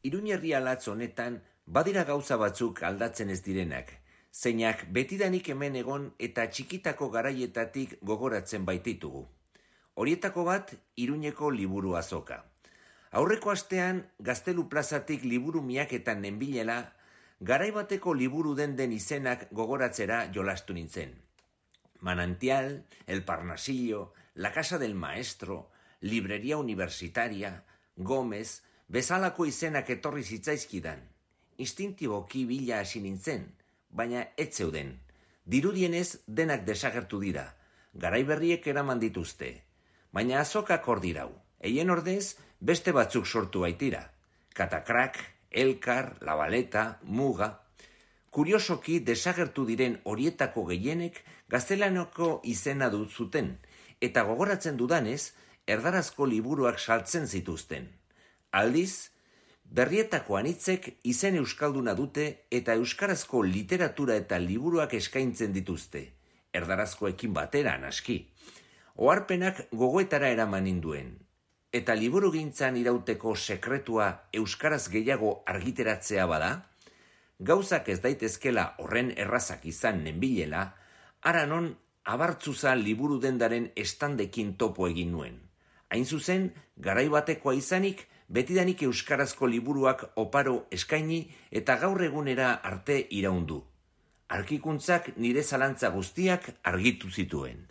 Iruñerri alatz honetan badira gauza batzuk aldatzen ez direnak, zeinak betidanik hemen egon eta txikitako garaietatik gogoratzen baititugu. Horietako bat Iruñeko liburu azoka. Aurreko astean Gaztelu plazatik liburu miaketan nenbilela, garai bateko liburu den izenak gogoratzera jolastu nintzen. Manantial, El Parnasillo, La Casa del Maestro, Librería Universitaria, Gómez, bezalako izenak etorri zitzaizkidan. Instintiboki bila hasi nintzen, baina ez zeuden. Dirudienez denak desagertu dira, garai berriek eraman dituzte. Baina azokak hor dirau, eien ordez beste batzuk sortu baitira. Katakrak, Elkar, La Baleta, Muga. Kuriosoki desagertu diren horietako gehienek gaztelanoko izena dut zuten, eta gogoratzen dudanez, erdarazko liburuak saltzen zituzten. Aldiz, berrietako anitzek izen euskalduna dute eta euskarazko literatura eta liburuak eskaintzen dituzte, erdarazkoekin batera naski. Oharpenak gogoetara eraman ninduen, eta liburugintzan irauteko sekretua euskaraz gehiago argiteratzea bada, gauzak ez daitezkela horren errazak izan nenbilela, hara non abartzuza liburu dendaren estandekin topo egin nuen. Hain zuzen, garai batekoa izanik, betidanik euskarazko liburuak oparo eskaini eta gaur egunera arte iraundu. Arkikuntzak nire zalantza guztiak argitu zituen.